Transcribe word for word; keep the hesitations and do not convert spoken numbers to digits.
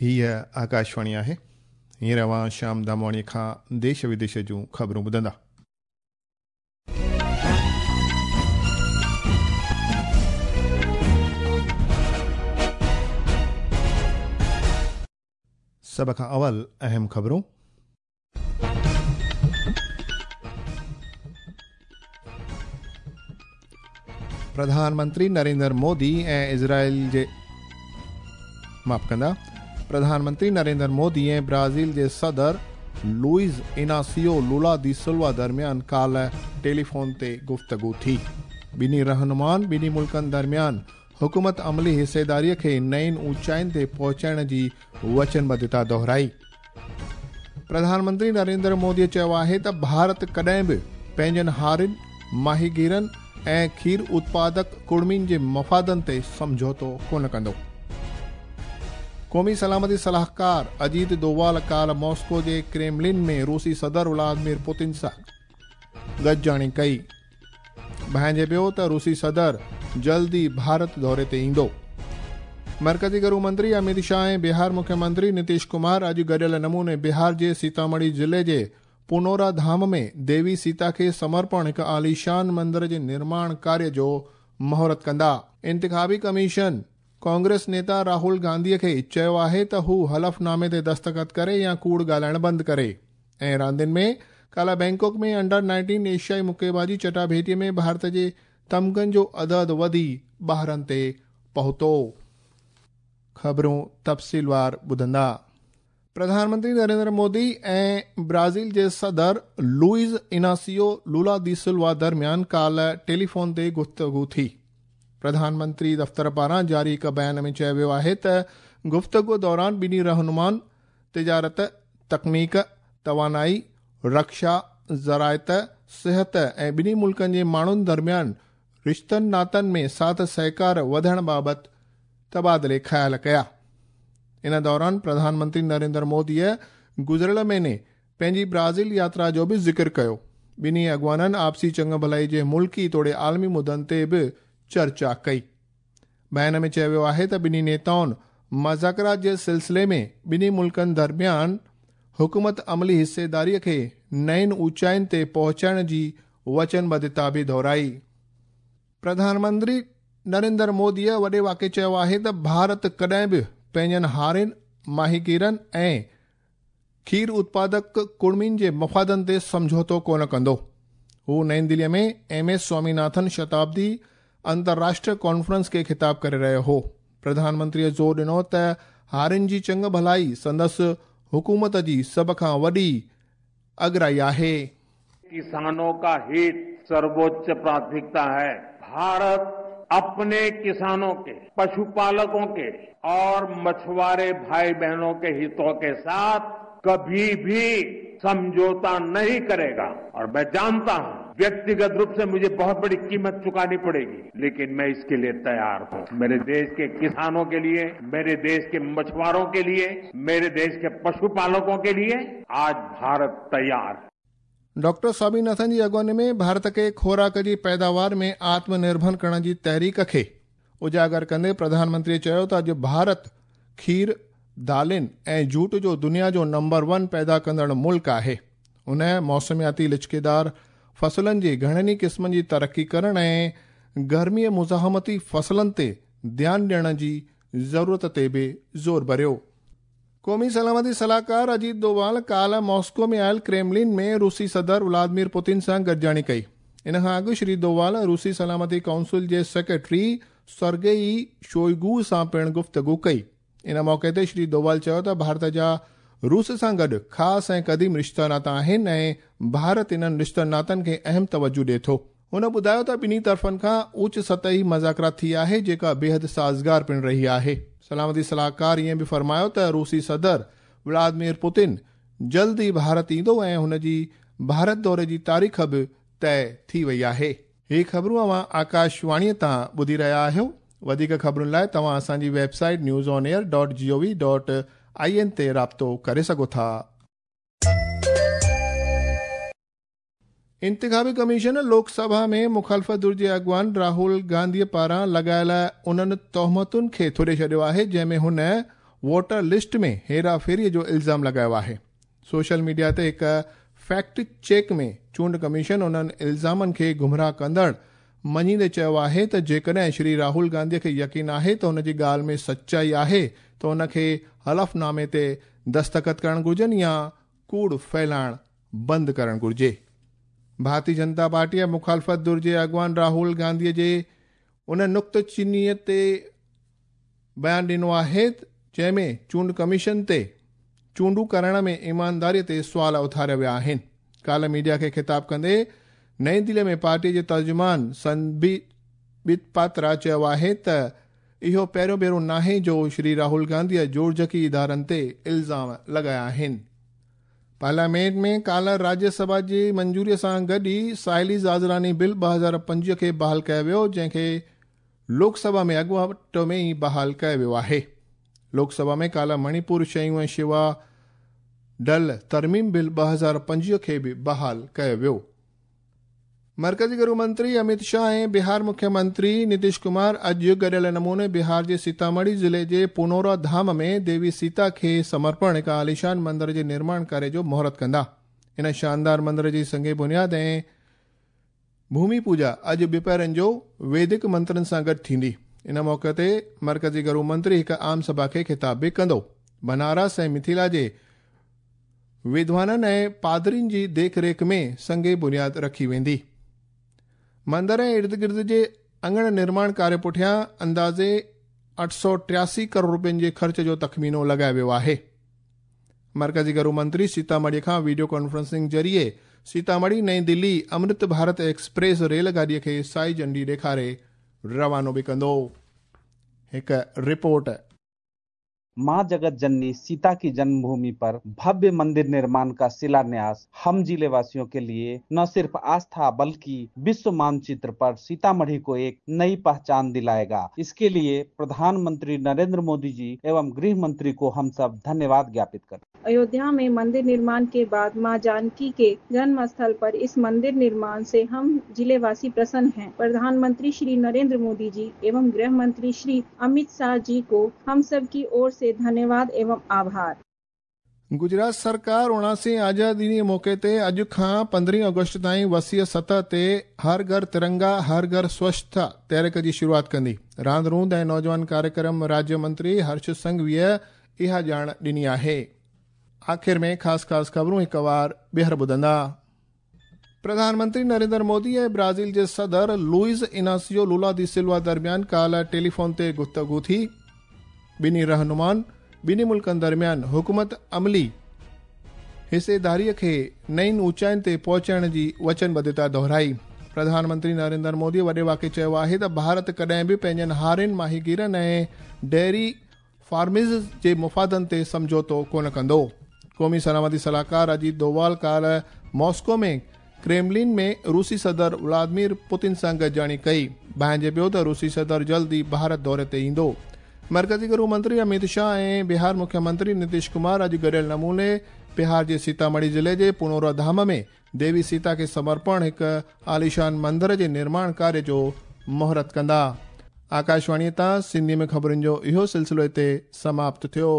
हीअ आकाशवाणी आहे। हींअर अव्हां श्याम दामवाणीअ खां देश विदेश जूं ख़बरूं ॿुधंदा। सभ खां अवल अहम ख़बरूं। प्रधानमंत्री नरेंद्र मोदी ऐं इज़राइल जे माफ़ कंदा प्रधानमंत्री नरेंद्र मोदी ऐं ब्राज़ील जे सदर लुइस इनासियो लूला दी सिल्वा दरमियान काल्ह टेलीफोन ते गुफ्तगू थी। ॿिन्ही रहनुमान ॿिन्ही मुल्कनि दरमियान हुकूमत अमली हिस्सेदारीअ खे नयुनि ऊंचाइयुनि ते पहुचाइण जी वचनबद्धता दोहराई। प्रधानमंत्री नरेंद्र मोदीअ चयो आहे त भारत कॾहिं बि पंहिंजनि हारियुनि, माहीगीरनि ऐं खीर उत्पादक कुड़मियुनि जे मफ़ादनि ते सम्झौतो कोन कंदो। क़ौमी सलामती सलाहकार अजीत दोवाल काल्ह मॉस्को जे क्रेमलिन में रूसी सदर व्लादिमीर पुतिन सां गॾिजाणी कई। भांइजे पियो त रूसी सदर जल्द ई भारत दौरे ते ईंदो। मरकज़ी गृह मंत्री अमित शाह ऐं बिहार मुख्यमंत्री नीतीश कुमार अॼु गॾियल नमूने बिहार जे सीतामढ़ी ज़िले जे पुनौरा धाम में देवी सीता खे समर्पण हिकु आलीशान मंदिर जे निर्माण कार्य जो मुहूर्त कंदा। इंतिखाबी कमीशन कांग्रेस नेता राहुल गांधीअ खे चयो आहे त हू हलफनामे ते दस्तख़त करे या कूड़ ॻाल्हाइणु बंदि करे। ऐं रांदियुनि में काल्ह बैंकॉक में अंडर नाइनटीन एशियाई मुक्केबाज़ी चटाभेटीअ में भारत जे तमगनि जो अदद वधी ॿारहं ते पहुतो। ख़बरूं तफ़सीलवार ॿुधंदा। प्रधानमंत्री नरेंद्र मोदी ऐं ब्राज़ील जे सदर लुइस इनासियो लूला दी सिल्वा दरमियान काल्ह टेलीफोन ते गुफ्तगू थी। प्रधानमंत्री दफ़्तर पारां जारी हिकु बयान में चयो वियो आहे त गुफ्तगू दौरान ॿिन्ही रहनुमान तिजारत, तकनीक, तवानाई, रक्षा, ज़राइत, सिहत ऐं ॿिन्ही मुल्कनि जे माण्हुनि दरमियान रिश्तनि नातनि में साथ सहकार वधण बाबति तबादिले ख़्याल कया। इन दौरान प्रधानमंत्री नरेंद्र मोदीअ गुज़िरियल महीने पंहिंजी ब्राज़ील यात्रा जो बि ज़िक्र कयो। ॿिन्ही अॻवाननि आपसी चङु भलाई जे मुल्की तोड़े आलमी मुद्दनि ते बि चर्चा कई। बयान में चयो वियो आहे त ॿिन्ही नेताउनि मुज़ाकरात जे सिलसिले में ॿिन्ही मुल्कनि दरमियान हुकूमत अमली हिस्सेदारीअ खे नयुनि ऊंचाइयुनि ते पहुचाइण जी वचनबद्धता बि दोहराई। प्रधानमंत्री नरेंद्र मोदीअ वॾे वाक़े चयो आहे त भारत कॾहिं बि पंहिंजनि हारियुनि, माहीगीरनि ऐं खीर उत्पादक कुड़मियुनि जे मफ़ादनि ते सम्झौतो कोन कंदो। हू नई दिल्लीअ में एम एस स्वामीनाथन शताब्दी अंतर्राष्ट्रीय कॉन्फ्रेंस खे ख़िताब करे रहियो हो। प्रधानमंत्रीअ ज़ोर ॾिनो त हारियुनि जी चङु भलाई संदसि हुकूमत जी सभ खां वॾी अगराई आहे। किसानों का हित सर्वोच्च प्राथमिकता है। भारत अपने किसानों के, पशुपालकों के और मछुआरे भाई बहनों के हितों के साथ कभी भी समझौता नहीं करेगा। और मैं जानता हूं व्यक्तिगत रूप से मुझे बहुत बड़ी कीमत चुकानी पड़ेगी, लेकिन मैं इसके लिए तैयार हूं। मेरे देश के किसानों के लिए, मेरे देश के मछुआरों के लिए, मेरे देश के पशुपालकों के लिए आज भारत तैयार है। डॉक्टर स्वामीनाथन जी अॻवानी में भारत खे खुराक जी पैदावार में आत्मनिर्भर करण जी तहरीक खे उजागर कंदे प्रधानमंत्री चयो त अॼु भारत खीर, दालियुनि ऐं जूट जो दुनिया जो नंबर वन पैदा कंदड़ मुल्क आहे। उन मौसमियाती लिचकेदार फसलनि जे घणनि ई क़िस्मनि जी तरक़ी करण ऐं गर्मीअ मुज़ाहमती फसलनि ते ध्यानु ॾियण जी ज़रूरत ते बि ज़ोर भरियो। क़ौमी सलामती सलाहकार अजीत दोवाल काल्ह मॉस्को में आयल क्रेमलिन में रूसी सदर व्लादिमीर पुतिन सां गॾिजाणी कई। इन खां अॻु श्री दोवाल रूसी सलामती काउंसिल जे सेक्रेटरी सर्गेई शोइगू सां पिणु गुफ्तगू कई। इन मौक़े ते श्री दोवाल चयो त भारत जा रूस सां गॾु ख़ासि ऐं क़दीम रिश्ता नाता आहिनि ऐं भारत इन्हनि रिश्तनि नातनि खे अहम तवजु ॾिए थो। हुन ॿुधायो त ॿिन्ही तरफ़नि खां उच्च सतही मुज़ाकरा थी आहे, जेका बेहद साज़गार पिणु रही आहे। सलामती सलाहकार ईअं बि फ़रमायो त रूसी सदर व्लादिमीर पुतिन जल्द ई भारत ईंदो ऐं हुन जी भारत दौरे जी तारीख़ बि तय थी वई आहे। ही ख़बरूं अव्हां आकाशवाणीअ तां ॿुधी रहिया आहियो। वधीक ख़बरुनि लाइ तव्हां असांजी website news on air dot G O V dot I N ते राब्तो करे सघो था। इंतिखाबी कमीशन लोकसभा में मुखालिफ़ धुर जे अॻवान राहुल गांधीअ पारां लॻायल उन्हनि तोहमतुनि खे थुरे छॾियो आहे, जंहिंमें हुन वोटर लिस्ट में हेराफेरीअ जो इल्ज़ाम लॻायो आहे। सोशल मीडिया ते हिकु फैक्ट चेक में चूंड कमीशन उन्हनि इल्ज़ामनि खे गुमराह कंदड़ मञींदे चयो आहे त जेकॾहिं श्री राहुल गांधीअ खे यकीन आहे त हुन जी ॻाल्हि में सचाई आहे त हुनखे हलफनामे ते दस्तख़त करणु घुर्जनि या कूड़ फैलाइणु बंदि करणु घुर्जे। भारतीय जनता पार्टीअ मुखालफ़त धुर जे अॻवान राहुल गांधीअ जे उन नुक्तचीनीअ ते बयानु ॾिनो आहे जंहिंमें चूंड कमीशन ते चूंडूं करण में ईमानदारीअ ते सुवाल उथारिया विया आहिनि। काल्ह मीडिया खे ख़िताब कंदे नई दिल्ली में पार्टी जे तर्जुमान संबित पात्रा चयो आहे त इहो पहिरियों भेरो नाहे जो श्री राहुल गांधीअ जोड़जकी इदारनि ते इल्ज़ाम लॻाया आहिनि। पार्लियामेंट में काल्ह राज्यसभा जी मंजूरीअ सां गॾु ई साहिली ज़ाज़रानी बिल ॿ हज़ार पंजवीह खे बहाल कयो वियो, जंहिंखे लोकसभा में अॻुवाट में ई बहाल कयो वियो आहे। लोकसभा में काल्ह मणिपुर शयूं ऐं शिवा डल तरमीम बिल ॿ हज़ार पंजवीह खे बि बहाल कयो वियो। मर्कज़ी गृह मंत्री अमित शाह ऐं बिहार मुख्यमंत्री नीतीश कुमार अॼु गॾियल नमूने बिहार जे सीतामढ़ी ज़िले जे पुनौरा धाम में देवी सीता खे समर्पण हिकु आलीशान मंदिर जे निर्माण कार्य जो मुहूर्त कंदा। इन शानदार मंदिर जी संगे बुनियाद ऐं भूमि पूजा अॼु ॿिपहरनि जो वैदिक मंत्रनि सां गॾु थींदी। इन मौक़े ते मर्कज़ी गृह मंत्री हिकु आम सभा खे ख़िताब बि कंदो। बनारस ऐं मिथिला जे विद्वाननि ऐं पादरियुनि जी देखरेख में संगे बुनियाद रखी वेंदी। मंदिर ऐं इर्द गिर्द जे अंगण निर्माण कार्य पुठियां अंदाज़े अठ सौ टियासी करोड़ रुपयनि जे ख़र्च जो तख़मीनो लॻायो वियो आहे। मर्कज़ी गृह मंत्री सीतामढ़ी खां वीडियो कॉन्फ्रेंसिंग ज़रिए सीतामढ़ी नई दिल्ली अमृत भारत एक्सप्रेस रेलगाॾीअ खे साई झंडी ॾेखारे रवानो बि कंदो। हिकु रिपोर्ट। मां जगत जननी सीता की जन्मभूमि पर भव्य मंदिर निर्माण का शिलान्यास हम जिले वासियों के लिए न सिर्फ आस्था बल्कि विश्व मानचित्र पर सीतामढ़ी को एक नई पहचान दिलाएगा। इसके लिए प्रधानमंत्री नरेंद्र मोदी जी एवं गृह मंत्री को हम सब धन्यवाद ज्ञापित करते हैं। अयोध्या में मंदिर निर्माण के बाद मां जानकी के जन्म स्थल पर इस मंदिर निर्माण से हम जिलेवासी प्रसन्न हैं। प्रधानमंत्री श्री नरेंद्र मोदी जी एवं गृह मंत्री श्री अमित शाह जी को हम सब की ओर से धन्यवाद एवं आभार। गुजरात सरकार उणासी आज़ादी जे मौक़े ते अॼु खां पंद्रहीं अगस्त ताईं वसीअ सतह ते हर घर तिरंगा हर घर स्वच्छता तहरीक जी शुरूआत कंदी। रांदि रूंद ऐं नौजवान कार्यक्रम राज्य मंत्री हर्ष संघवीअ इहा ॼाण ॾिनी आहे। आख़िर में ख़ासि ख़ासि ख़बरूं हिकु वार ॿीहर ॿुधंदा। प्रधानमंत्री नरेंद्र मोदी ऐं ब्राज़ील जे सदर लुइस इनासियो लूला दी सिल्वा दरमियान काल्ह टेलीफोन ते गुफ्तगू थी। ॿिन्ही रहनुमान ॿिन्ही मुल्कनि दरमियान हुकूमत अमली हिस्सेदारीअ खे नईनि ऊंचाइयुनि ते पहुचाइण जी वचनबद्धता दोहराई। प्रधानमंत्री नरेंद्र मोदी वॾे वाक़े चयो आहे त भारत कॾहिं बि पंहिंजनि हारियुनि, माहीगीरनि ऐं डेयरी फार्मर्स जे मुफ़ादनि ते सम्झौतो कोन कंदो। क़ौमी सलामती सलाहकार अजीत डोवाल काल्ह मॉस्को में क्रेमलिन में रूसी सदर व्लादिमीर पुतिन सां गॾिजाणी कई। भांइजे पियो त रूसी सदर जल्द ई भारत दौरे ते ईंदो। मर्कज़ी गृह मंत्री अमित शाह ऐं बिहार मुख्यमंत्री नीतीश कुमार अॼु गॾियल नमूने बिहार जे सीतामढ़ी ज़िले जे पुनौरा धाम में देवी सीता खे समर्पण हिकु आलीशान मंदिर जे निर्माण कार्य जो मुहूर्त कंदा। आकाशवाणीअ तां सिंधी में ख़बरुनि जो इहो सिलसिलो हिते समाप्त थियो।